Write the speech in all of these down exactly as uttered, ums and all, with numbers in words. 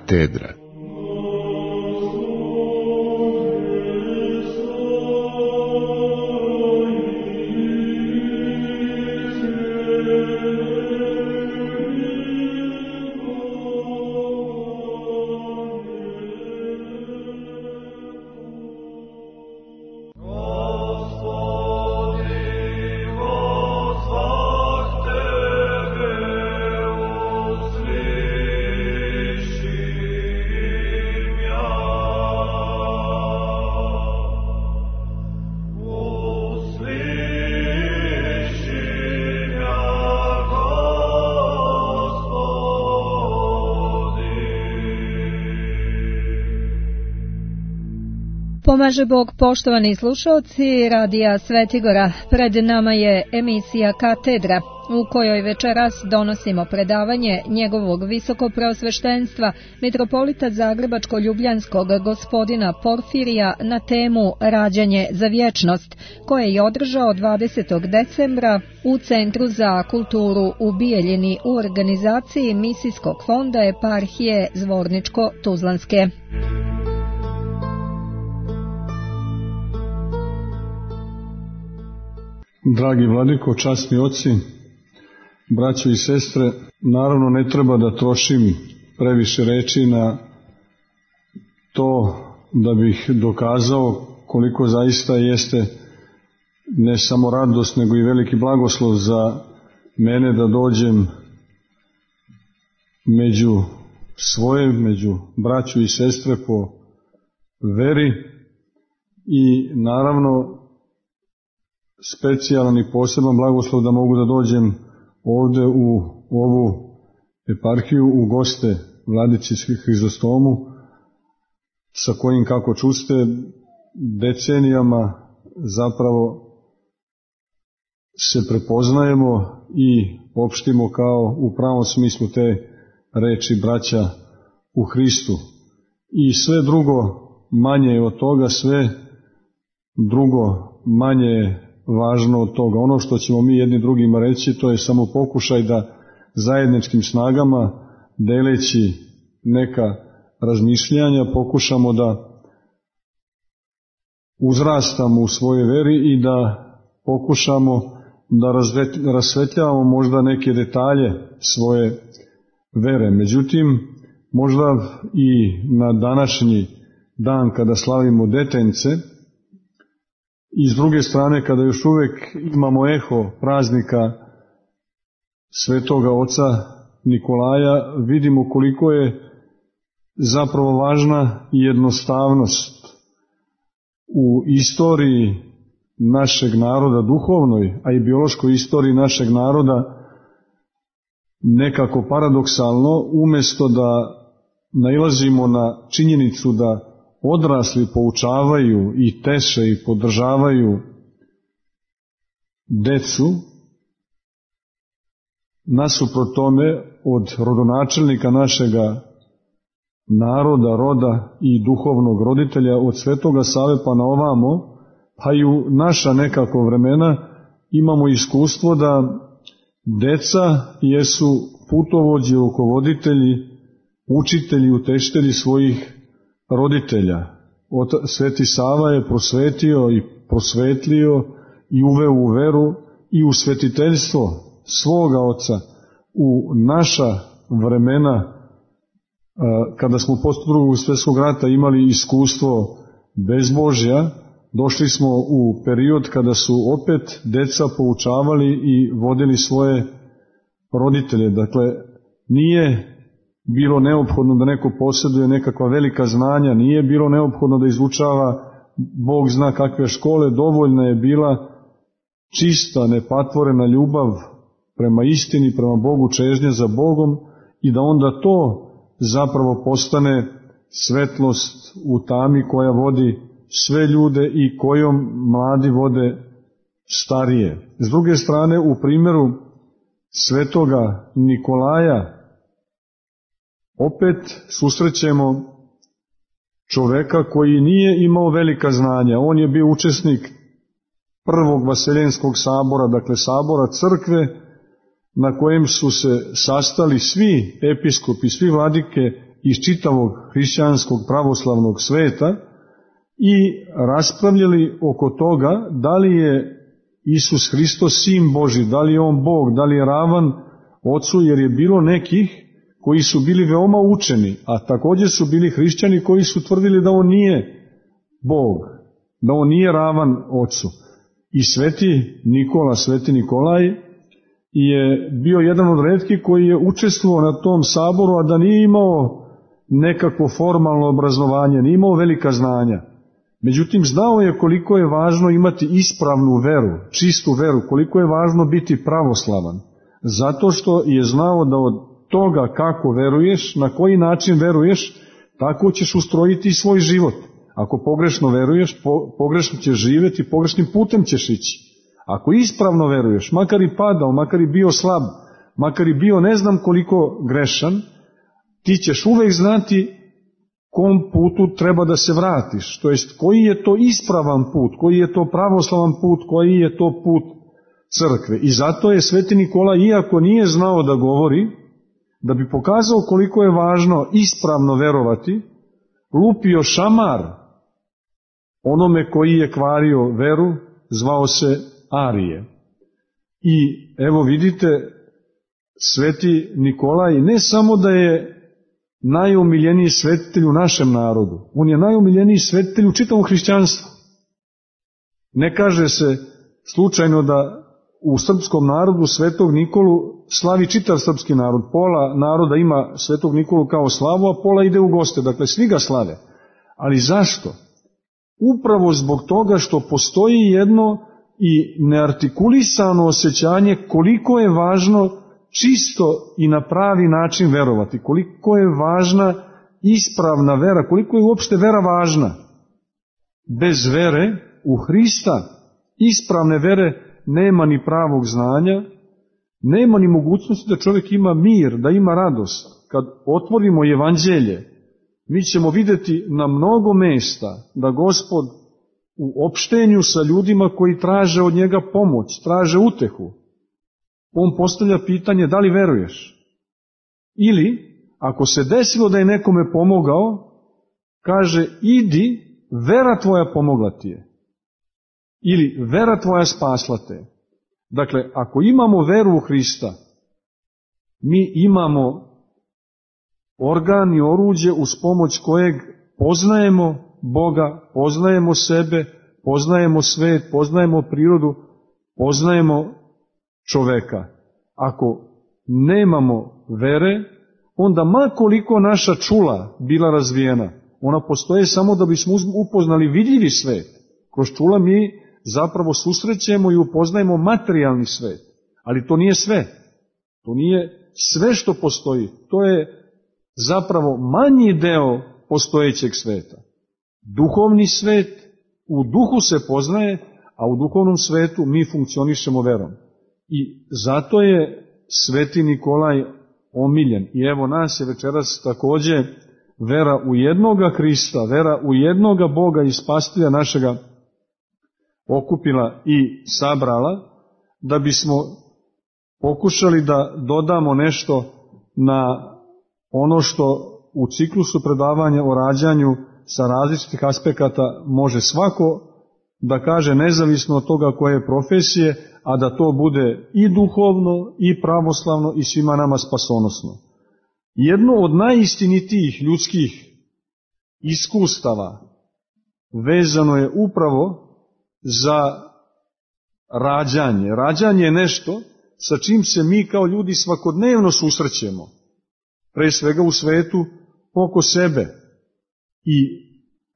katedra. Pomaže Bog, poštovani slušalci Radija Svetigora. Pred nama je emisija Katedra, u kojoj večeras donosimo predavanje njegovog visokopreosveštenstva, mitropolita Zagrebačko-ljubljanskog gospodina Porfirija na temu Rađanje za vječnost, koje je održao dvadesetog decembra u Centru za kulturu u Bijeljini u organizaciji Misijskog fonda eparhije Zvorničko-Tuzlanske. Dragi vladiko, časni oci, braćo i sestre, naravno ne treba da trošim previše reči na to da bih dokazao koliko zaista jeste ne samo radost, nego i veliki blagoslov za mene da dođem među svoje, među braću i sestre po veri i naravno specijalan i poseban blagoslov da mogu da dođem ovde u ovu eparhiju u goste Vladici Hrizostomu, sa kojim, kako čuste, decenijama zapravo se prepoznajemo i opštimo kao u pravom smislu te reči braća u Hristu. I sve drugo manje je od toga, sve drugo manje je važno od toga. Ono što ćemo mi jedni drugima reći, to je samo pokušaj da zajedničkim snagama, deleći neka razmišljanja, pokušamo da uzrastamo u svojoj veri i da pokušamo da rasvetljavamo možda neke detalje svoje vere. Međutim, možda i na današnji dan kada slavimo detence, i s druge strane, kada još uvek imamo eho praznika Svetoga oca Nikolaja, vidimo koliko je zapravo važna jednostavnost u istoriji našeg naroda, duhovnoj, a i biološkoj istoriji našeg naroda. Nekako paradoksalno, umesto da nailazimo na činjenicu da odrasli poučavaju i teše i podržavaju decu, nasuprot tome od rodonačelnika našega naroda, roda i duhovnog roditelja, od Svetoga Save pa na ovamo, pa i u naša nekako vremena, imamo iskustvo da deca jesu putovođi, rukovoditelji, učitelji, uteštelji svojih roditelja. Sveti Sava je prosvetio i prosvetlio i uveo u veru i u svetiteljstvo svoga oca u naša vremena, kada smo posle Drugog svjetskog rata imali iskustvo bezbožja. Došli smo u period kada su opet deca poučavali i vodili svoje roditelje. Dakle, nije bilo neophodno da neko posjeduje nekakva velika znanja, nije bilo neophodno da izučava Bog zna kakve škole, dovoljna je bila čista, nepatvorena ljubav prema istini, prema Bogu, čežnja za Bogom, i da onda to zapravo postane svetlost u tami koja vodi sve ljude i kojom mladi vode starije. S druge strane, u primjeru Svetoga Nikolaja opet susrećemo čoveka koji nije imao velika znanja. On je bio učesnik prvog Vaseljenskog sabora, dakle sabora crkve, na kojem su se sastali svi episkopi, svi vladike iz čitavog hrišćanskog pravoslavnog sveta i raspravljali oko toga da li je Isus Hristos sin Božji, da li je on Bog, da li je ravan Ocu, jer je bilo nekih koji su bili veoma učeni, a također su bili hrišćani koji su tvrdili da on nije Bog, da on nije ravan Ocu. I sveti Nikola, sveti Nikolaj je bio jedan od retkih koji je učestvovao na tom saboru, a da nije imao nekako formalno obrazovanje, nije imao velika znanja. Međutim, znao je koliko je važno imati ispravnu veru, čistu veru, koliko je važno biti pravoslavan. Zato što je znao da od toga kako veruješ, na koji način veruješ, tako ćeš ustrojiti svoj život. Ako pogrešno veruješ, po, pogrešno ćeš živjeti, pogrešnim putem ćeš ići. Ako ispravno veruješ, makar i padao, makar i bio slab, makar i bio ne znam koliko grešan, ti ćeš uvek znati kom putu treba da se vratiš. To jest, koji je to ispravan put, koji je to pravoslavan put, koji je to put crkve. I zato je sveti Nikola, iako nije znao da govori, da bi pokazao koliko je važno ispravno verovati, lupio šamar onome koji je kvario veru, zvao se Arije. I evo vidite, sveti Nikolaj ne samo da je najomiljeniji svetitelj u našem narodu, on je najomiljeniji svetitelj u čitavom hrišćanstvu. Ne kaže se slučajno da u srpskom narodu svetog Nikolu slavi čitav srpski narod. Pola naroda ima svetog Nikolu kao slavu, a pola ide u goste. Dakle, svi ga slave. Ali zašto? Upravo zbog toga što postoji jedno i neartikulisano osjećanje koliko je važno čisto i na pravi način verovati, koliko je važna ispravna vera, koliko je uopšte vera važna. Bez vere u Hrista, ispravne vere, nema ni pravog znanja, nema ni mogućnosti da čovjek ima mir, da ima radost. Kad otvorimo evanđelje, mi ćemo vidjeti na mnogo mesta da Gospod u opštenju sa ljudima koji traže od njega pomoć, traže utehu, on postavlja pitanje da li veruješ. Ili, ako se desilo da je nekome pomogao, kaže idi, vera tvoja pomogla ti je. Ili vera tvoja spasla te. Dakle, ako imamo veru u Hrista, mi imamo organ i oruđe uz pomoć kojeg poznajemo Boga, poznajemo sebe, poznajemo svet, poznajemo prirodu, poznajemo čoveka. Ako nemamo vere, onda ma koliko naša čula bila razvijena, ona postoje samo da bismo upoznali vidljivi svet. Kroz čula mi zapravo susrećemo i upoznajemo materijalni svet. Ali to nije sve. To nije sve što postoji. To je zapravo manji deo postojećeg sveta. Duhovni svet u duhu se poznaje, a u duhovnom svetu mi funkcionišemo verom. I zato je sveti Nikolaj omiljen. I evo nas je večeras također vera u jednoga Hrista, vera u jednoga Boga i spasitelja našega okupila i sabrala, da bismo pokušali da dodamo nešto na ono što u ciklusu predavanja o rađanju sa različitih aspekata može svako da kaže nezavisno od toga koje je profesije, a da to bude i duhovno, i pravoslavno, i svima nama spasonosno. Jedno od najistinitijih ljudskih iskustava vezano je upravo za rađanje. Rađanje je nešto sa čim se mi kao ljudi svakodnevno susrećemo. Pre svega u svetu oko sebe. I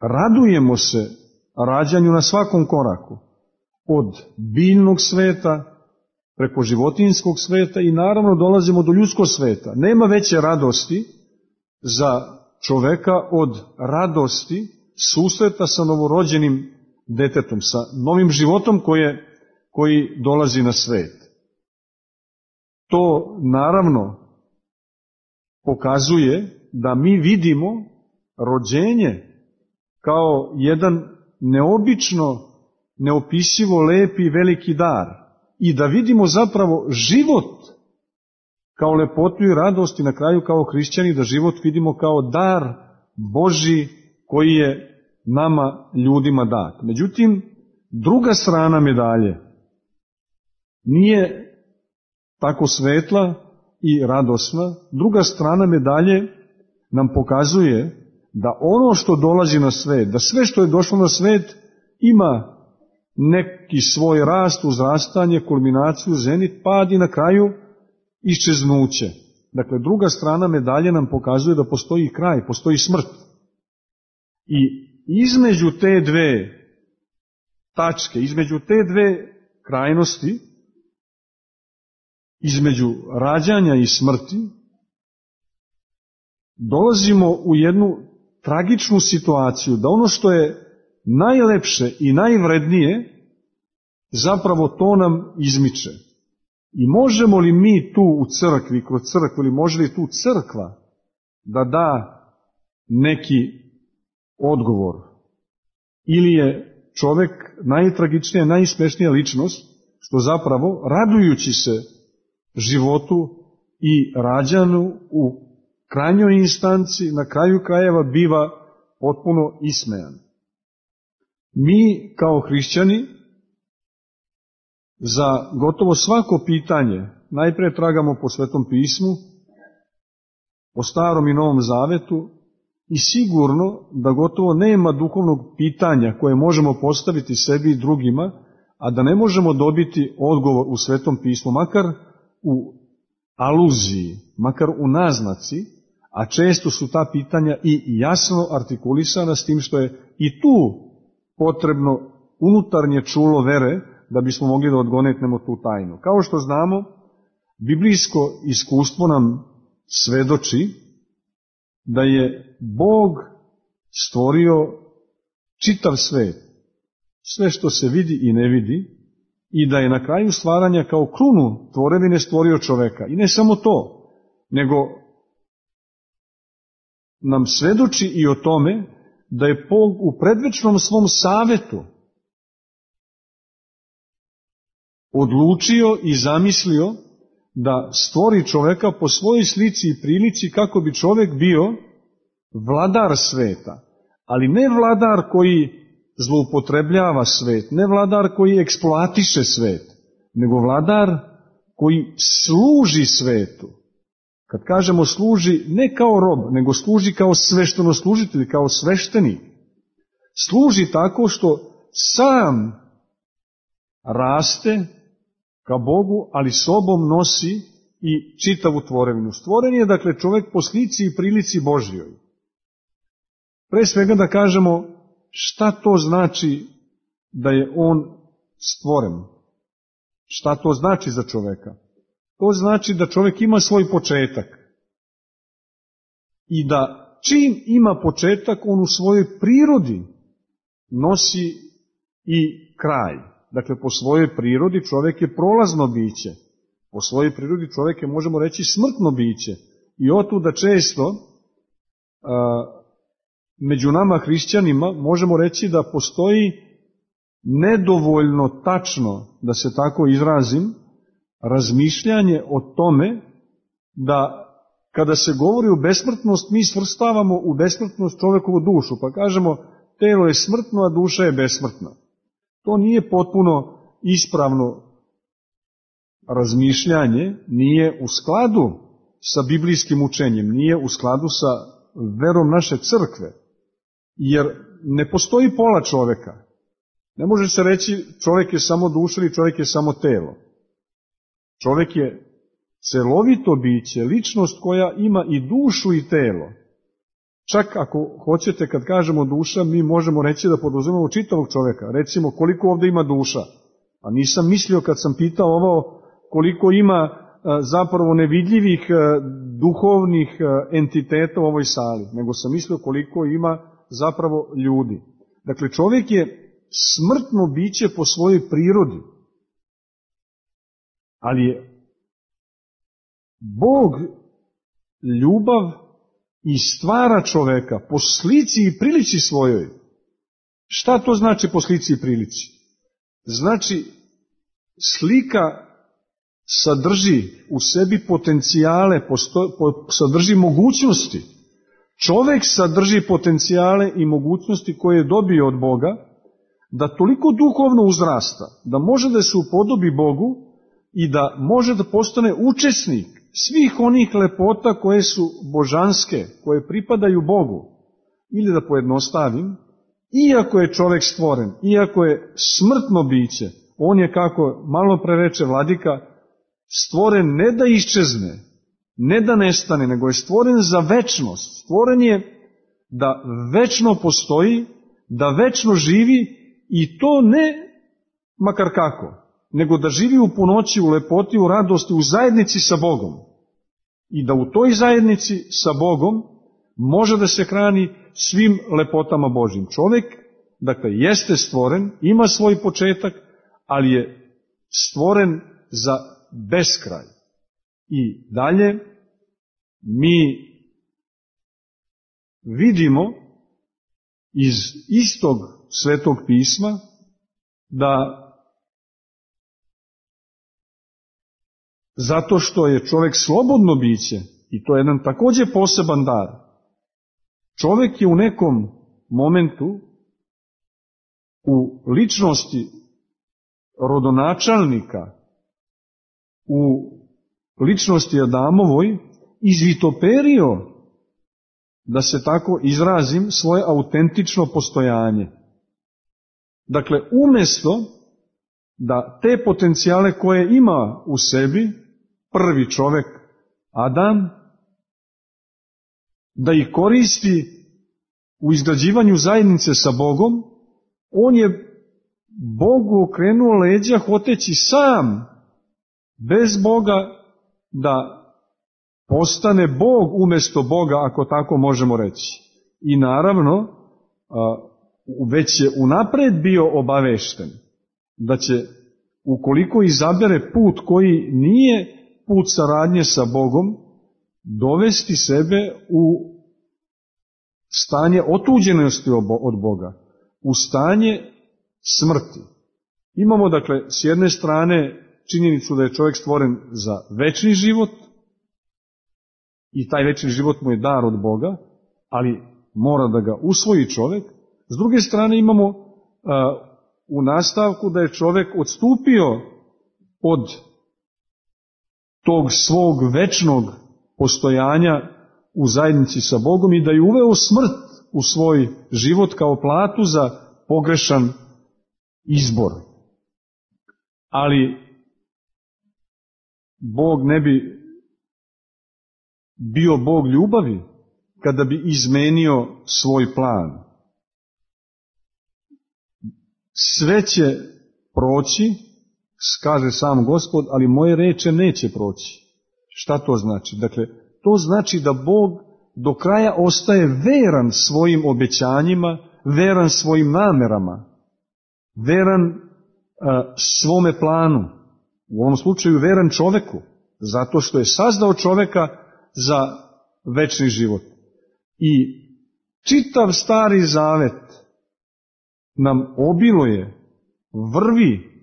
radujemo se rađanju na svakom koraku. Od biljnog sveta, preko životinjskog sveta i naravno dolazimo do ljudskog sveta. Nema veće radosti za čoveka od radosti susreta sa novorođenim detetom, sa novim životom koje, koji dolazi na svet. To naravno pokazuje da mi vidimo rođenje kao jedan neobično, neopisivo lepi i veliki dar i da vidimo zapravo život kao lepotu i radost i na kraju kao hrišćani da život vidimo kao dar Božji koji je nama ljudima dat. Međutim, druga strana medalje nije tako svetla i radosna. Druga strana medalje nam pokazuje da ono što dolazi na svet, da sve što je došlo na svet ima neki svoj rast, uzrastanje, kulminaciju, zenit, pad i na kraju iščeznuće. Dakle, druga strana medalje nam pokazuje da postoji kraj, postoji smrt. I između te dve tačke, između te dve krajnosti, između rađanja i smrti, dolazimo u jednu tragičnu situaciju, da ono što je najlepše i najvrednije, zapravo to nam izmiče. I možemo li mi tu u crkvi, kroz crkvu, ili može li tu crkva da da neki odgovor? Ili je čovek najtragičnija, najsmešnija ličnost, što zapravo, radujući se životu i rađanu u krajnjoj instanci, na kraju krajeva biva potpuno ismejan. Mi kao hrišćani za gotovo svako pitanje najpre tragamo po Svetom pismu, po Starom i Novom Zavetu, i sigurno da gotovo nema duhovnog pitanja koje možemo postaviti sebi i drugima, a da ne možemo dobiti odgovor u Svetom pismu, makar u aluziji, makar u naznaci, a često su ta pitanja i jasno artikulisana, s tim što je i tu potrebno unutarnje čulo vere da bismo mogli da odgonetnemo tu tajnu. Kao što znamo, biblijsko iskustvo nam svedoči da je Bog stvorio čitav svet, sve što se vidi i ne vidi, i da je na kraju stvaranja kao krunu tvorevine stvorio čoveka. I ne samo to, nego nam svedoči i o tome da je Bog u predvečnom svom savetu odlučio i zamislio da stvori čoveka po svojoj slici i prilici kako bi čovek bio vladar sveta, ali ne vladar koji zloupotrebljava svet, ne vladar koji eksploatiše svet, nego vladar koji služi svetu. Kad kažemo služi, ne kao rob, nego služi kao sveštenoslužitelj, kao sveštenik. Služi tako što sam raste ka Bogu, ali sobom nosi i čitavu tvorevinu. Stvoren je, dakle, čovek po slici i prilici Božjoj. Pre svega da kažemo šta to znači da je on stvoren. Šta to znači za čoveka? To znači da čovek ima svoj početak. I da čim ima početak, on u svojoj prirodi nosi i kraj. Dakle, po svojoj prirodi čovek je prolazno biće. Po svojoj prirodi čovek je, možemo reći, smrtno biće. I otuda često a, među nama hrišćanima možemo reći da postoji nedovoljno tačno, da se tako izrazim, razmišljanje o tome da kada se govori o besmrtnost, mi svrstavamo u besmrtnost čovekovu dušu, pa kažemo telo je smrtno, a duša je besmrtna. To nije potpuno ispravno razmišljanje, nije u skladu sa biblijskim učenjem, nije u skladu sa verom naše crkve, jer ne postoji pola čoveka. Ne može se reći čovek je samo duša ili čovek je samo telo. Čovek je celovito biće, ličnost koja ima i dušu i telo. Čak ako hoćete, kad kažemo duša, mi možemo reći da podrazumemo čitavog čoveka. Recimo, koliko ovde ima duša? A nisam mislio kad sam pitao ovo koliko ima zapravo nevidljivih duhovnih entiteta u ovoj sali, nego sam mislio koliko ima zapravo ljudi. Dakle, čovjek je smrtno biće po svojoj prirodi, ali je Bog ljubav i stvara čoveka po slici i prilici svojoj. Šta to znači po slici i prilici? Znači, slika sadrži u sebi potencijale, posto, po, sadrži mogućnosti. Čovek sadrži potencijale i mogućnosti koje je dobio od Boga, da toliko duhovno uzrasta, da može da se upodobi Bogu i da može da postane učesnik svih onih lepota koje su božanske, koje pripadaju Bogu. Ili da pojednostavim, iako je čovek stvoren, iako je smrtno biće, on je, kako malo pre reče vladika, stvoren ne da iščezne, ne da nestane, nego je stvoren za večnost. Stvoren je da večno postoji, da večno živi i to ne makar kako, nego da živi u punoći, u lepoti, u radosti, u zajednici sa Bogom. I da u toj zajednici sa Bogom može da se hrani svim lepotama Božjim. Čovjek, dakle, jeste stvoren, ima svoj početak, ali je stvoren za beskraj. I dalje mi vidimo iz istog Svetog pisma da zato što je čovjek slobodno biće, i to je jedan također poseban dar, čovjek je u nekom momentu u ličnosti rodonačelnika, u ličnosti Adamovoj, izvitoperio, da se tako izrazim, svoje autentično postojanje. Dakle, umjesto da te potencijale koje ima u sebi prvi čovjek, Adam, da ih koristi u izgrađivanju zajednice sa Bogom, on je Bogu okrenuo leđa hoteći sam, bez Boga, da postane Bog umjesto Boga, ako tako možemo reći. I naravno, već je unapred bio obavešten da će, ukoliko izabere put koji nije put saradnje sa Bogom, dovesti sebe u stanje otuđenosti od Boga, u stanje smrti. Imamo, dakle, s jedne strane činjenicu da je čovjek stvoren za večni život i taj večni život mu je dar od Boga, ali mora da ga usvoji čovjek. S druge strane imamo uh, u nastavku da je čovjek odstupio od tog svog večnog postojanja u zajednici sa Bogom i da je uveo smrt u svoj život kao platu za pogrešan izbor. Ali Bog ne bi bio Bog ljubavi kada bi izmenio svoj plan. Sve će proći, kaže sam Gospod, ali moje reče neće proći. Šta to znači? Dakle, to znači da Bog do kraja ostaje veran svojim obećanjima, veran svojim namerama, veran a, svome planu. U ovom slučaju veran čoveku, zato što je sazdao čoveka za večni život. I čitav Stari Zavet nam obiluje, vrvi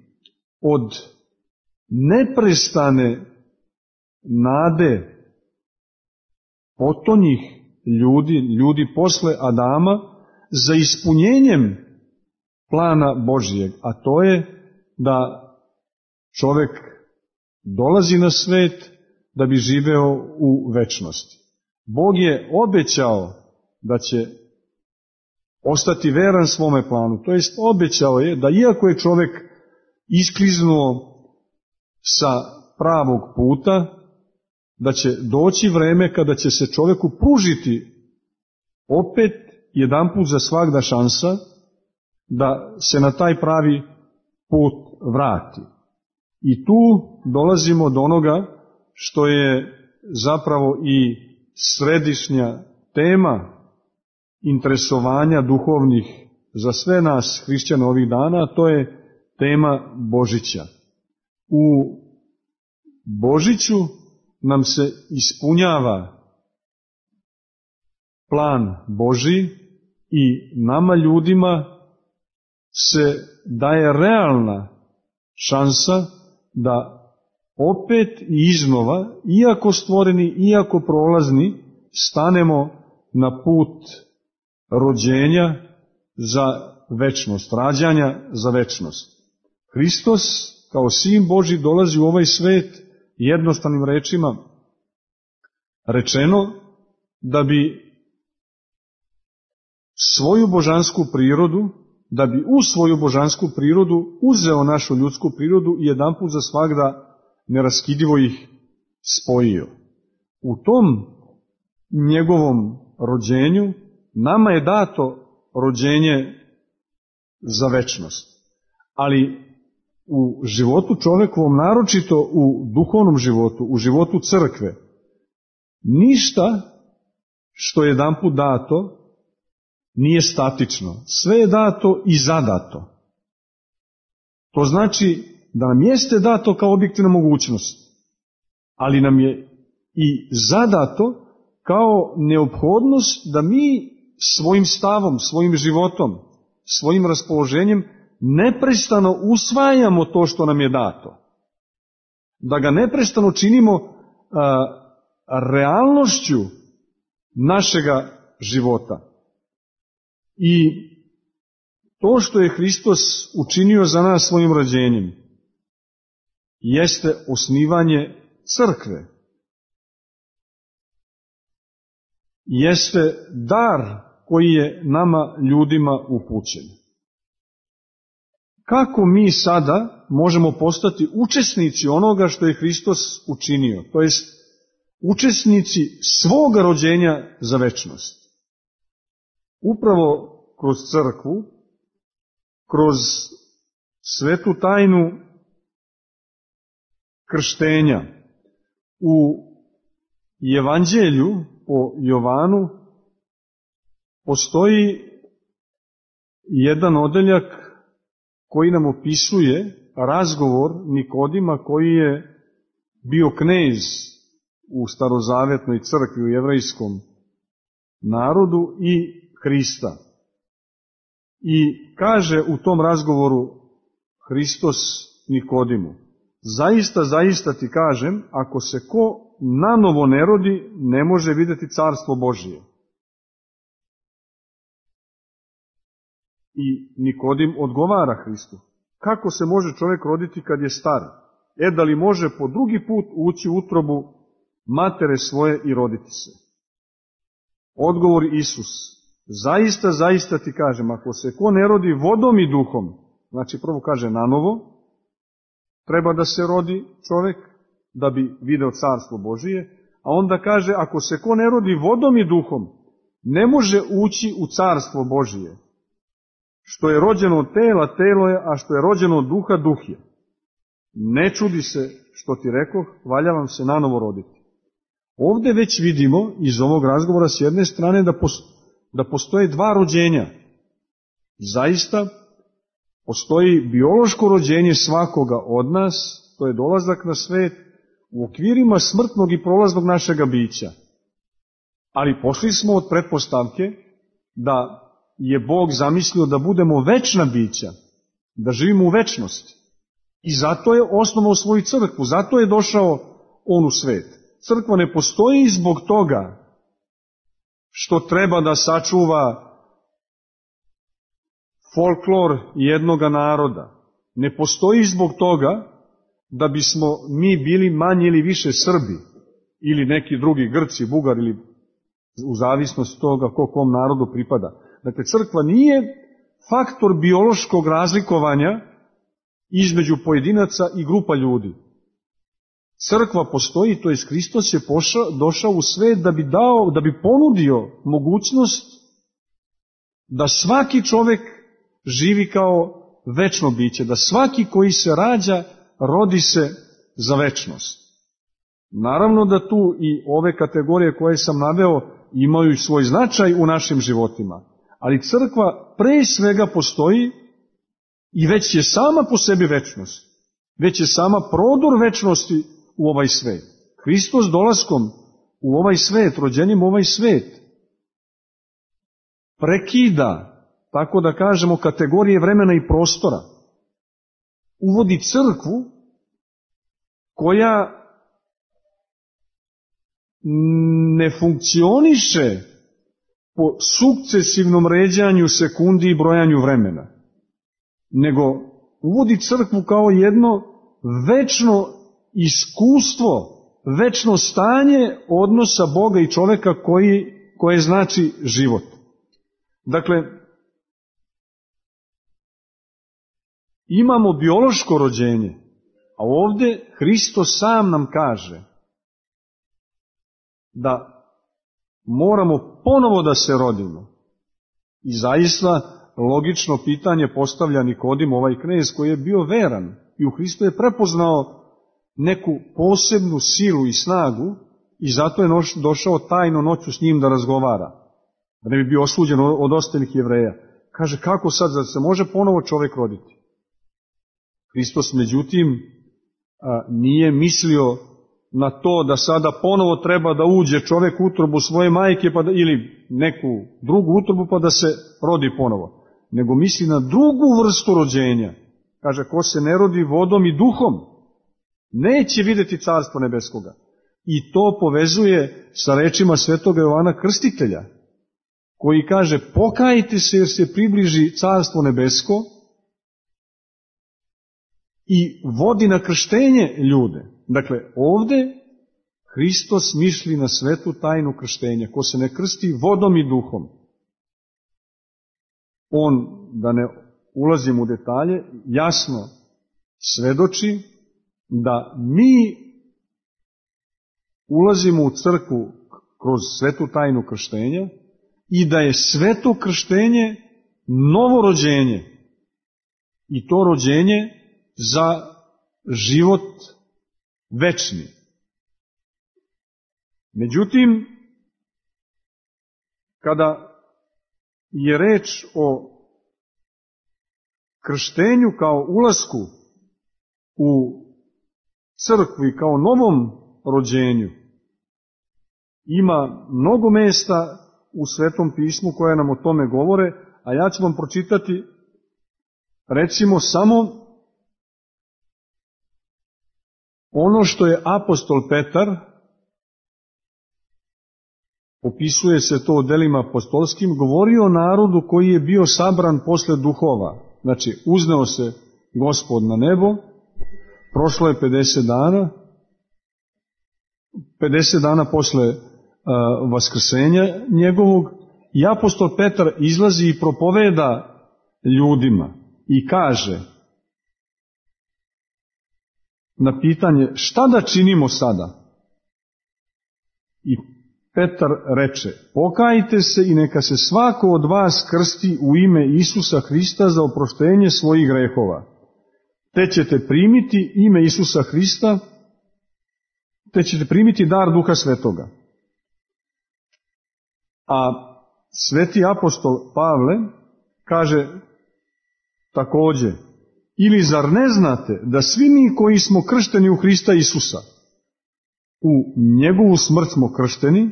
od neprestane nade potonjih ljudi, ljudi posle Adama, za ispunjenjem plana Božijeg, a to je da čovjek dolazi na svet da bi živeo u večnosti. Bog je obećao da će ostati veran svome planu, to jest obećao je da iako je čovjek iskliznuo sa pravog puta, da će doći vreme kada će se čovjeku pružiti opet jedanput za svagda šansa da se na taj pravi put vrati. I tu dolazimo do onoga što je zapravo i središnja tema interesovanja duhovnih za sve nas hrišćana ovih dana, a to je tema Božića. U Božiću nam se ispunjava plan Božji i nama ljudima se daje realna šansa da opet i iznova, iako stvoreni, iako prolazni, stanemo na put rođenja za večnost, rađanja za večnost. Hristos kao Sin Božji dolazi u ovaj svet, jednostavnim rečima rečeno, da bi svoju božansku prirodu, da bi u svoju božansku prirodu uzeo našu ljudsku prirodu i jedanput za svagda neraskidivo ih spojio. U tom njegovom rođenju nama je dato rođenje za večnost. Ali u životu čovekovom, naročito u duhovnom životu, u životu crkve, ništa što je jedanput dato nije statično. Sve je dato i zadato. To znači da nam jeste dato kao objektivna mogućnost, ali nam je i zadato kao neophodnost da mi svojim stavom, svojim životom, svojim raspoloženjem neprestano usvajamo to što nam je dato. Da ga neprestano činimo a, realnošću našega života. I to što je Hristos učinio za nas svojim rođenjem jeste osnivanje crkve. Jeste dar koji je nama ljudima upućen. Kako mi sada možemo postati učesnici onoga što je Hristos učinio, to jest učesnici svoga rođenja za večnost? Upravo kroz crkvu, kroz svetu tajnu krštenja. U Evanđelju po Jovanu postoji jedan odeljak koji nam opisuje razgovor Nikodima, koji je bio knez u starozavetnoj crkvi, u jevrejskom narodu, i Hrista. I kaže u tom razgovoru Hristos Nikodimu: zaista, zaista ti kažem, ako se ko nanovo ne rodi, ne može vidjeti carstvo Božije. I Nikodim odgovara Hristu: kako se može čovjek roditi kad je star? E, da li može po drugi put ući u utrobu matere svoje i roditi se? Odgovor Isus: zaista, zaista ti kažem, ako se ko ne rodi vodom i duhom, znači prvo kaže nanovo, treba da se rodi čovjek da bi video carstvo Božije, a onda kaže, ako se ko ne rodi vodom i duhom, ne može ući u carstvo Božije. Što je rođeno od tela, telo je, a što je rođeno od duha, duh je. Ne čudi se što ti rekoh, valja vam se nanovo roditi. Ovdje već vidimo iz ovog razgovora s jedne strane da, da postoje dva rođenja. Zaista postoji biološko rođenje svakoga od nas, to je dolazak na svet u okvirima smrtnog i prolaznog našega bića. Ali pošli smo od pretpostavke da je Bog zamislio da budemo večna bića, da živimo u večnosti. I zato je osnovao svoju crkvu, zato je došao on u svet. Crkva ne postoji zbog toga što treba da sačuva folklor jednoga naroda. Ne postoji zbog toga da bismo mi bili manje ili više Srbi ili neki drugi Grci, Bugari, ili u zavisnosti toga ko kom narodu pripada. Dakle, crkva nije faktor biološkog razlikovanja između pojedinaca i grupa ljudi. Crkva postoji, to jest Hristos je pošao, došao u svet da bi dao, da bi ponudio mogućnost da svaki čovjek živi kao večno biće, da svaki koji se rađa rodi se za večnost. Naravno da tu i ove kategorije koje sam naveo imaju svoj značaj u našim životima, ali crkva pre svega postoji i već je sama po sebi večnost. Već je sama prodor večnosti u ovaj svet. Hristos dolaskom u ovaj svet, rođenjem u ovaj svet, prekida, tako da kažemo, kategorije vremena i prostora. Uvodi crkvu koja ne funkcioniše po sukcesivnom ređanju sekundi i brojanju vremena, nego uvodi crkvu kao jedno večno iskustvo, večno stanje odnosa Boga i čoveka koji, koje znači život. Dakle, imamo biološko rođenje, a ovdje Hristos sam nam kaže da moramo ponovo da se rodimo. I zaista logično pitanje postavlja Nikodim, ovaj knez koji je bio veran i u Hristu je prepoznao neku posebnu silu i snagu i zato je došao tajno noću s njim da razgovara, da ne bi bio osuđen od ostalih Jevreja. Kaže, kako sad, zar se može ponovo čovjek roditi? Hristos, međutim, nije mislio na to da sada ponovo treba da uđe čovjek u utrobu svoje majke pa da, ili neku drugu utrobu pa da se rodi ponovo, nego misli na drugu vrstu rođenja. Kaže, ko se ne rodi vodom i duhom, neće vidjeti carstvo nebeskoga. I to povezuje sa rečima svetoga Jovana Krstitelja, koji kaže, pokajte se jer se približi carstvo nebesko, i vodi na krštenje ljude. Dakle, ovdje Hristos misli na svetu tajnu krštenja. Ko se ne krsti vodom i duhom, on, da ne ulazim u detalje, jasno svedoči da mi ulazimo u crkvu kroz svetu tajnu krštenja i da je sveto krštenje novo rođenje. I to rođenje za život večni. Međutim, kada je reč o krštenju kao ulasku u crkvu i kao novom rođenju, ima mnogo mesta u Svetom pismu koje nam o tome govore, a ja ću vam pročitati recimo samo ono što je apostol Petar, opisuje se to u delima apostolskim, govorio o narodu koji je bio sabran posle duhova. Znači, uzneo se Gospod na nebo, prošlo je pedeset dana, pedeset dana posle uh, vaskrsenja njegovog, i apostol Petar izlazi i propoveda ljudima i kaže na pitanje šta da činimo sada? I Petar reče, pokajte se i neka se svako od vas krsti u ime Isusa Hrista za oproštenje svojih grehova. Te ćete primiti ime Isusa Hrista, te ćete primiti dar Duha Svetoga. A sveti apostol Pavle kaže također, ili zar ne znate da svi mi koji smo kršteni u Hrista Isusa, u njegovu smrt smo kršteni,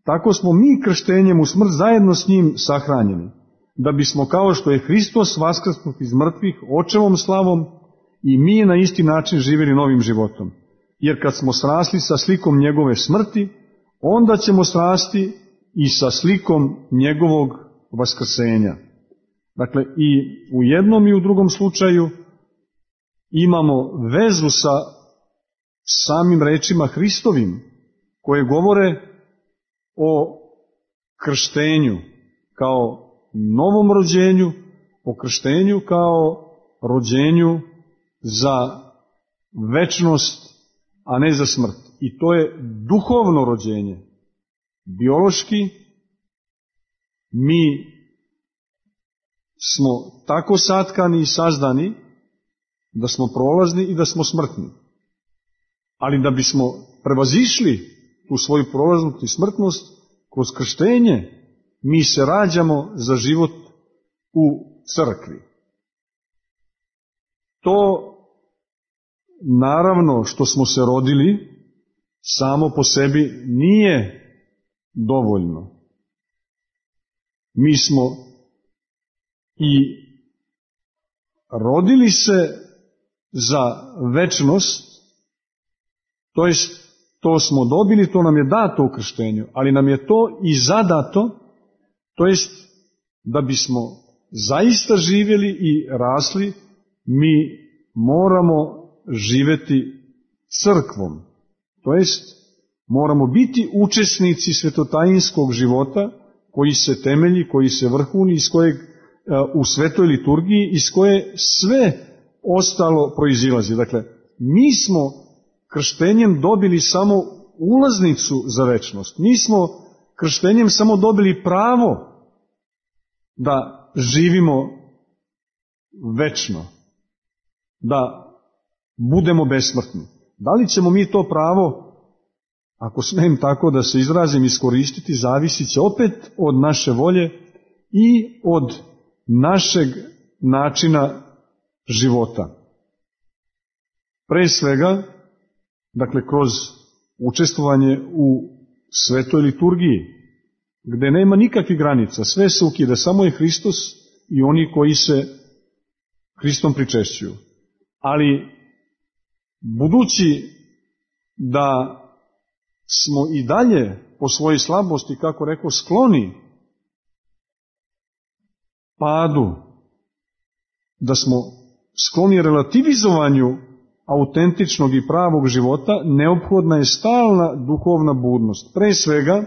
tako smo mi krštenjem u smrt zajedno s njim sahranjeni, da bismo kao što je Hristos vaskrsnut iz mrtvih očevom slavom i mi na isti način živjeli novim životom. Jer kad smo srasli sa slikom njegove smrti, onda ćemo srasti i sa slikom njegovog vaskrsenja. Dakle, i u jednom i u drugom slučaju imamo vezu sa samim rečima Hristovim, koje govore o krštenju kao novom rođenju, o krštenju kao rođenju za večnost, a ne za smrt. I to je duhovno rođenje. Biološki mi smo tako satkani i sazdani da smo prolazni i da smo smrtni. Ali da bismo prevazišli tu svoju prolaznost i smrtnost, kroz krštenje mi se rađamo za život u crkvi. To naravno što smo se rodili samo po sebi nije dovoljno. Mi smo i rodili se za večnost To jest, to smo dobili, to nam je dato u krštenju, ali nam je to i zadato, to jest da bismo zaista živjeli i rasli, mi moramo živjeti crkvom. To jest, moramo biti učesnici svetotajinskog života koji se temelji, koji se vrhuni, iz kojeg u svetoj liturgiji, iz koje sve ostalo proizilazi. Dakle, mi smo krštenjem dobili samo ulaznicu za večnost. Mi smo krštenjem samo dobili pravo da živimo večno, da budemo besmrtni. Da li ćemo mi to pravo, ako smijem tako da se izrazim, iskoristiti, zavisit će opet od naše volje i od našeg načina života. Pre svega, dakle, kroz učestvovanje u svetoj liturgiji, gde nema nikakvih granica, sve se ukida, samo je Hristos i oni koji se Hristom pričešćuju. Ali, budući da smo i dalje po svojoj slabosti, kako rekao, skloni padu, da smo skloni relativizovanju autentičnog i pravog života, neophodna je stalna duhovna budnost. Pre svega,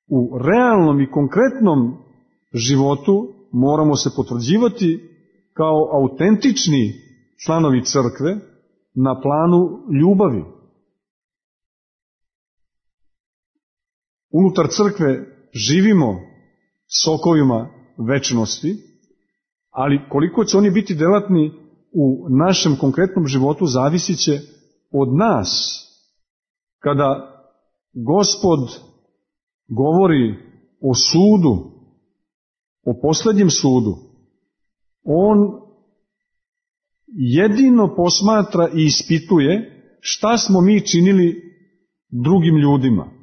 u realnom i konkretnom životu moramo se potvrđivati kao autentični članovi crkve na planu ljubavi. Unutar crkve živimo sokovima večnosti, ali koliko će oni biti delatni u našem konkretnom životu zavisit će od nas. Kada Gospod govori o sudu, o posljednjem sudu, on jedino posmatra i ispituje šta smo mi činili drugim ljudima.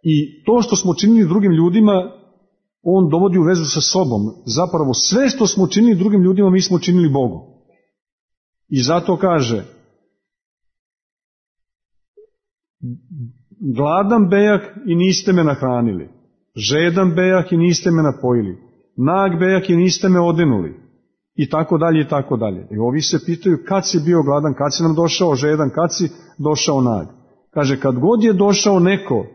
I to što smo činili drugim ljudima, on dovodi u vezu sa sobom. Zapravo sve što smo činili drugim ljudima, mi smo činili Bogu. I zato kaže, gladan bejah i niste me nahranili, žedan bejah i niste me napojili, nag bejah i niste me odenuli, i tako dalje, i tako dalje. I ovi se pitaju kad si bio gladan, kad si nam došao žedan, kad si došao nag. Kaže, kad god je došao neko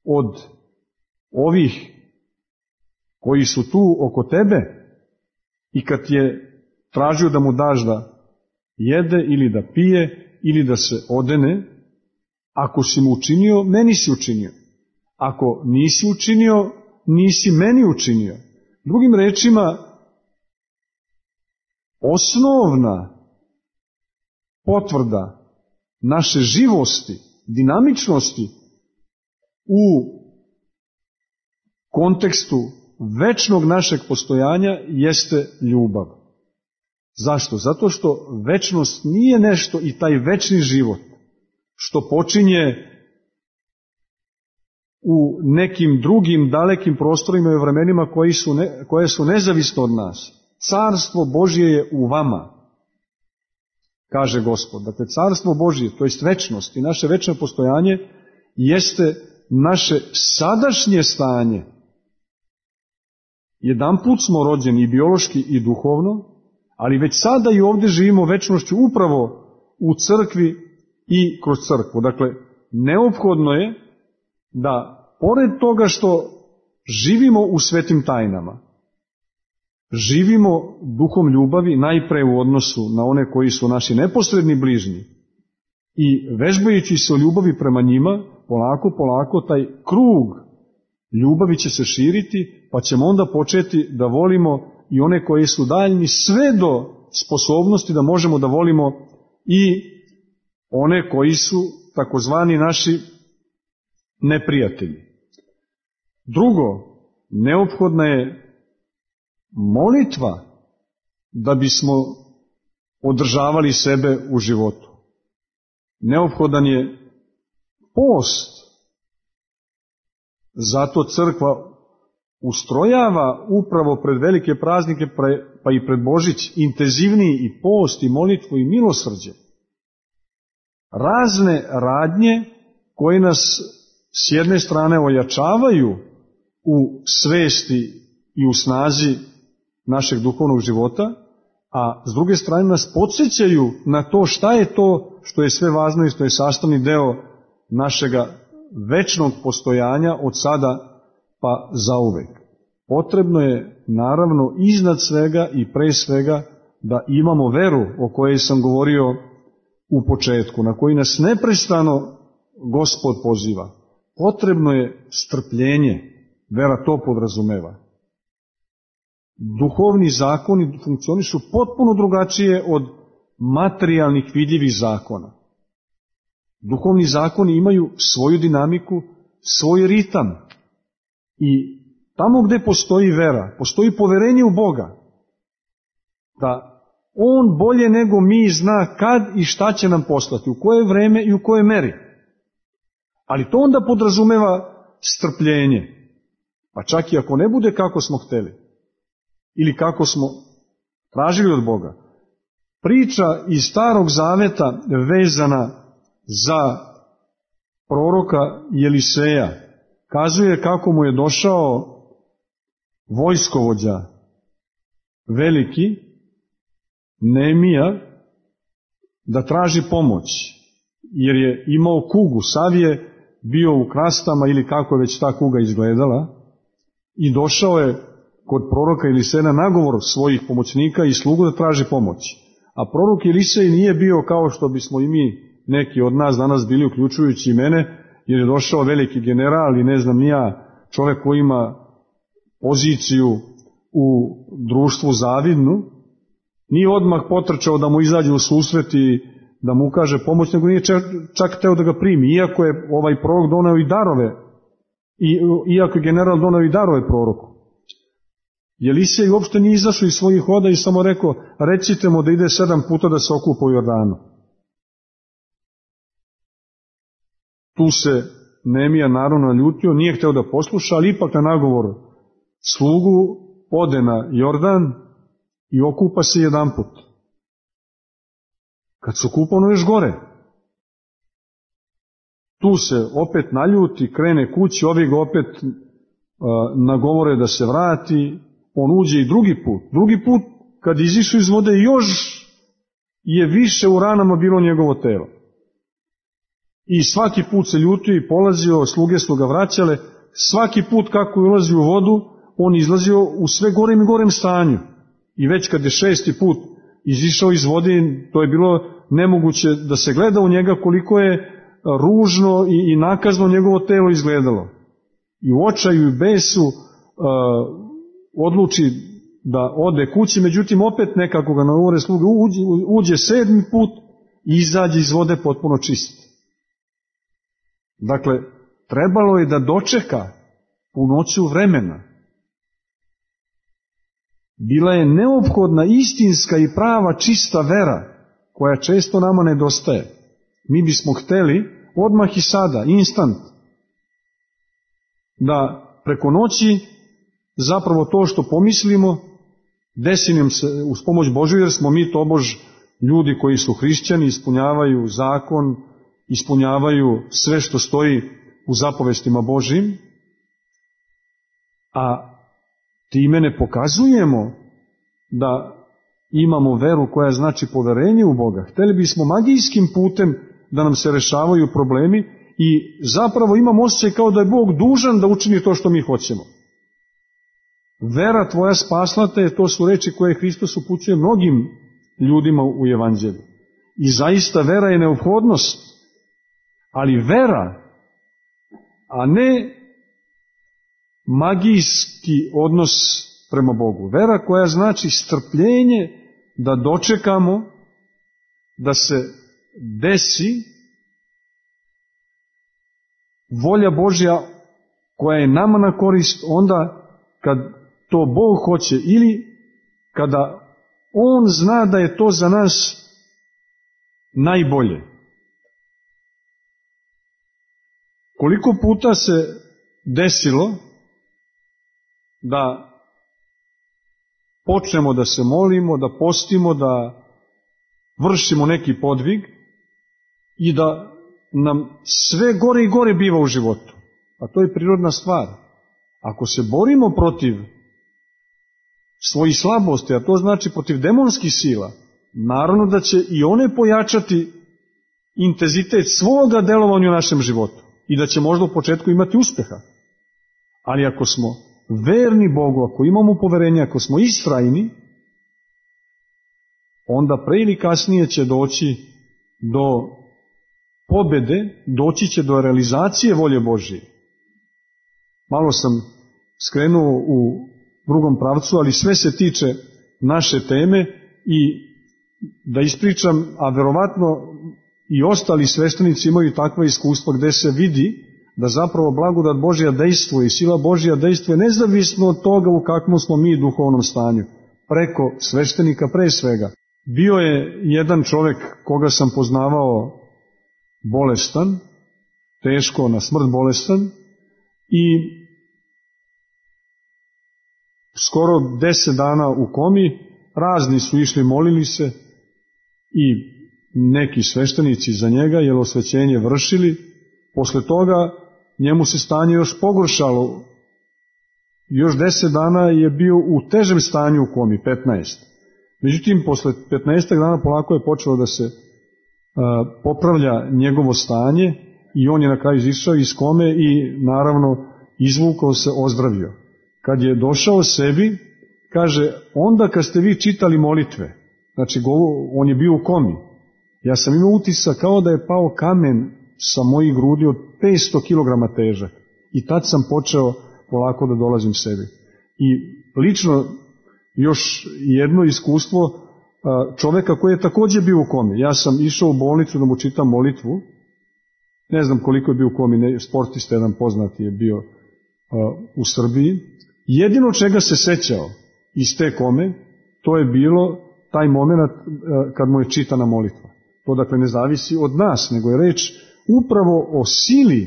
od ovih koji su tu oko tebe i kad je tražio da mu daš da jede ili da pije ili da se odene, ako si mu učinio, meni si učinio. Ako nisi učinio, nisi meni učinio. Drugim rečima, osnovna potvrda naše živosti, dinamičnosti u kontekstu večnog našeg postojanja jeste ljubav. Zašto? Zato što večnost nije nešto i taj večni život što počinje u nekim drugim dalekim prostorima i vremenima koji su ne, koje su nezavisno od nas. Carstvo Božje je u vama, kaže Gospod. Dakle, carstvo Božje, to jest večnost i naše večno postojanje, jeste naše sadašnje stanje. Jedanput smo rođeni i biološki i duhovno, ali već sada i ovdje živimo večnošću upravo u crkvi i kroz crkvu. Dakle, neophodno je da, pored toga što živimo u svetim tajnama, živimo duhom ljubavi najpre u odnosu na one koji su naši neposredni bližnji i vežbajući se o ljubavi prema njima, polako, polako taj krug ljubavi će se širiti, pa ćemo onda početi da volimo i one koji su daljni, sve do sposobnosti da možemo da volimo i one koji su takozvani naši neprijatelji. Drugo, neophodna je molitva da bismo održavali sebe u životu. Neophodan je post. Zato crkva ustrojava upravo pred velike praznike pa i pred Božić, intenzivniji i post i molitvu i milosrđe. Razne radnje koje nas s jedne strane ojačavaju u svesti i u snazi našeg duhovnog života, a s druge strane nas podsjećaju na to šta je to što je sve važno i što je sastavni deo našega večnog postojanja od sada pa zauvek. Potrebno je, naravno, iznad svega i pre svega da imamo veru o kojoj sam govorio u početku, na koji nas neprestano Gospod poziva. Potrebno je strpljenje, vera to podrazumeva. Duhovni zakoni funkcionišu potpuno drugačije od materijalnih vidljivih zakona. Duhovni zakoni imaju svoju dinamiku, svoj ritam. I tamo gde postoji vera, postoji poverenje u Boga, da On bolje nego mi zna kad i šta će nam poslati, u koje vreme i u koje meri. Ali to onda podrazumeva strpljenje, pa čak i ako ne bude kako smo hteli, ili kako smo tražili od Boga. Priča iz Starog Zaveta vezana za proroka Jeliseja kazuje kako mu je došao vojskovođa veliki, Neemija, da traži pomoć, jer je imao kugu. Sav je bio u krastama ili kako je već ta kuga izgledala i došao je kod proroka Eliseja na nagovor svojih pomoćnika i slugu da traži pomoć. A prorok Elisej nije bio kao što bismo i mi, neki od nas danas bili, uključujući i mene, jer je došao veliki general i ne znam ni ja, čovjek koji ima poziciju u društvu zavidnu, nije odmah potrčao da mu izađe u susret i da mu ukaže pomoć, nego nije čak hteo da ga primi, iako je ovaj prorok doneo i darove, i, iako je general doneo i darove proroku. Elisej uopšte nije izašao iz svojih hoda i samo rekao, recite mu da ide sedam puta da se okupa u Jordanu. Tu se Neemija naravno naljutio, nije hteo da posluša, ali ipak na nagovor slugu ode na Jordan i okupa se jedan put. Kad se okupa, ono još gore. Tu se opet naljuti, krene kući, ovi ga opet uh, nagovore da se vrati, on uđe i drugi put. Drugi put, kad izišao iz vode, još je više u ranama bilo njegovo telo. I svaki put se ljutio i polazio, sluge su ga vraćale, svaki put kako je ulazio u vodu, on izlazio u sve gorem i gorem stanju. I već kad je šesti put izišao iz vode, to je bilo nemoguće da se gleda u njega koliko je ružno i, i nakazno njegovo telo izgledalo. I u očaju i besu uh, odluči da ode kući, međutim opet nekako ga nagovore sluge, uđe, uđe sedmi put i izađe iz vode potpuno čist. Dakle, trebalo je da dočeka punoću vremena. Bila je neophodna istinska i prava čista vera, koja često nama nedostaje. Mi bismo hteli odmah i sada, instant, da preko noći zapravo to što pomislimo desi nam se uz pomoć Božju, jer smo mi tobož ljudi koji su hrišćani, ispunjavaju zakon, ispunjavaju sve što stoji u zapovestima Božjim, a time ne pokazujemo da imamo veru koja znači poverenje u Boga. Hteli bismo magijskim putem da nam se rešavaju problemi i zapravo imamo osjećaj kao da je Bog dužan da učini to što mi hoćemo. Vera tvoja spasla te, to su reči koje Hristos upućuje mnogim ljudima u Evanđelju. I zaista vera je neophodnost, ali vera, a ne magijski odnos prema Bogu. Vera koja znači strpljenje da dočekamo da se desi volja Božja koja je nama na korist onda kad to Bog hoće ili kada On zna da je to za nas najbolje. Koliko puta se desilo da počnemo da se molimo, da postimo, da vršimo neki podvig i da nam sve gore i gore biva u životu. A to je prirodna stvar. Ako se borimo protiv svojih slabosti, a to znači protiv demonskih sila, naravno da će i one pojačati intenzitet svoga delovanja u našem životu i da će možda u početku imati uspeha. Ali ako smo verni Bogu, ako imamo poverenje, ako smo istrajni, onda pre ili kasnije će doći do pobede, doći će do realizacije volje Božije. Malo sam skrenuo u drugom pravcu, ali sve se tiče naše teme i da ispričam, a verovatno i ostali sveštenici imaju takva iskustva gde se vidi da zapravo blagodat Božja dejstvuje i sila Božja dejstvuje nezavisno od toga u kakvom smo mi duhovnom stanju, preko sveštenika pre svega. Bio je jedan čovek koga sam poznavao bolestan, teško na smrt bolestan i skoro deset dana u komi, razni su išli, molili se i neki sveštenici za njega, jer osvećenje vršili. Posle toga njemu se stanje još pogoršalo. Još deset dana je bio u težem stanju u komi, petnaest. Međutim, posle petnaestak dana polako je počelo da se a, popravlja njegovo stanje i on je na kraju izišao iz kome i naravno izvukao se, ozdravio. Kad je došao sebi, kaže, onda kad ste vi čitali molitve, znači on je bio u komi, ja sam imao utisak kao da je pao kamen sa mojih grudi od petsto kilograma težak. I tad sam počeo polako da dolazim sebi. I lično još jedno iskustvo čoveka koji je takođe bio u komi. Ja sam išao u bolnicu da mu čitam molitvu. Ne znam koliko je bio u komi, sportista jedan poznati je bio u Srbiji. Jedino čega se sećao iz te kome, to je bilo taj moment kad mu je čitana molitva. To dakle ne zavisi od nas, nego je reč upravo o sili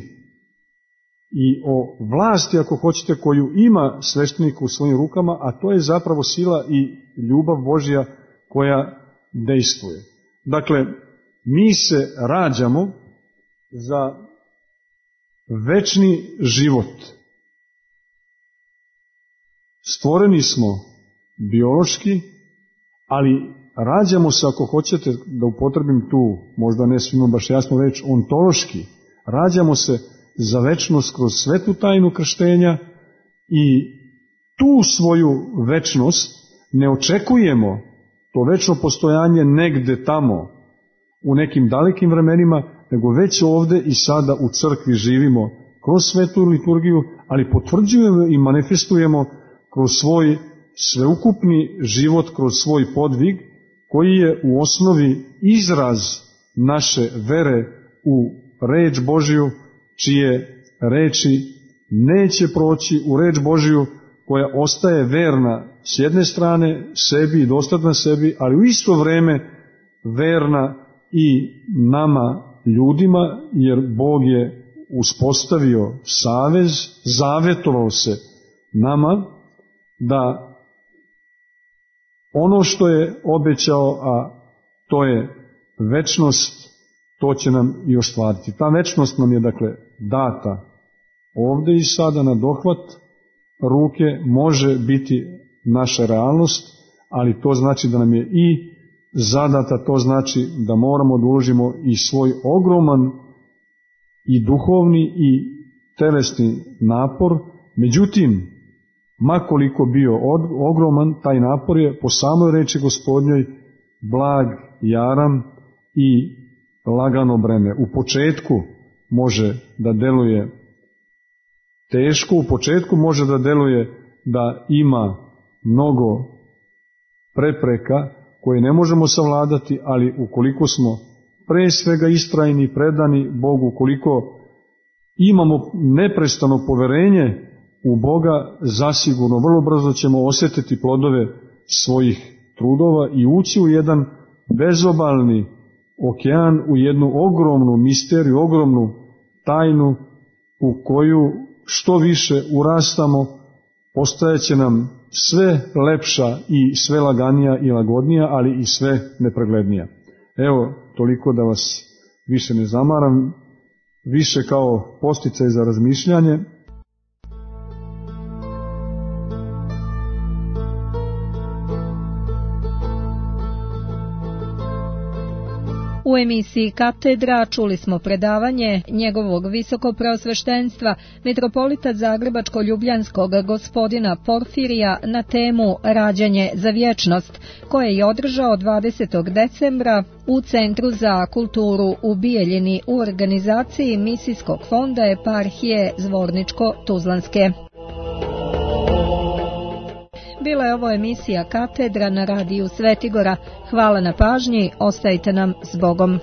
i o vlasti, ako hoćete, koju ima sveštenik u svojim rukama, a to je zapravo sila i ljubav Božja koja dejstvuje. Dakle, mi se rađamo za večni život. Stvoreni smo biološki, ali rađamo se, ako hoćete da upotrebim tu, možda ne svima baš jasno reč, ontološki. Rađamo se za večnost kroz svetu tajnu krštenja i tu svoju večnost ne očekujemo, to večno postojanje negde tamo, u nekim dalekim vremenima, nego već ovde i sada u crkvi živimo kroz svetu liturgiju, ali potvrđujemo i manifestujemo kroz svoj sveukupni život, kroz svoj podvig, koji je u osnovi izraz naše vere u reč Božiju, čije reči neće proći, u reč Božiju koja ostaje verna s jedne strane sebi i dostatna sebi, ali u isto vreme verna i nama ljudima, jer Bog je uspostavio savez, zavetovao se nama da ono što je obećao, a to je večnost, to će nam i ostvariti. Ta večnost nam je dakle data ovde i sada na dohvat ruke, može biti naša realnost, ali to znači da nam je i zadata, to znači da moramo da uložimo i svoj ogroman i duhovni i telesni napor. Međutim, makoliko bio ogroman, taj napor je po samoj reči Gospodnjoj blag, jaran i lagano breme. U početku može da deluje teško, u početku može da deluje da ima mnogo prepreka koje ne možemo savladati, ali ukoliko smo pre svega istrajni, predani Bogu, ukoliko imamo neprestano poverenje u Boga, zasigurno vrlo brzo ćemo osjetiti plodove svojih trudova i ući u jedan bezobalni okean, u jednu ogromnu misteriju, ogromnu tajnu u koju što više urastamo, postajeće nam sve lepša i sve laganija i lagodnija, ali i sve nepreglednija. Evo, toliko da vas više ne zamaram, više kao podsticaj za razmišljanje. U emisiji Katedra čuli smo predavanje njegovog visokopreosveštenstva mitropolita Zagrebačko-Ljubljanskog gospodina Porfirija na temu Rađanje za vječnost, koje je održao dvadesetog decembra u Centru za kulturu u Bijeljini u organizaciji Misijskog fonda eparhije Zvorničko-Tuzlanske. Bila je ovo emisija Katedra na radiju Svetigora. Hvala na pažnji, ostajte nam s Bogom.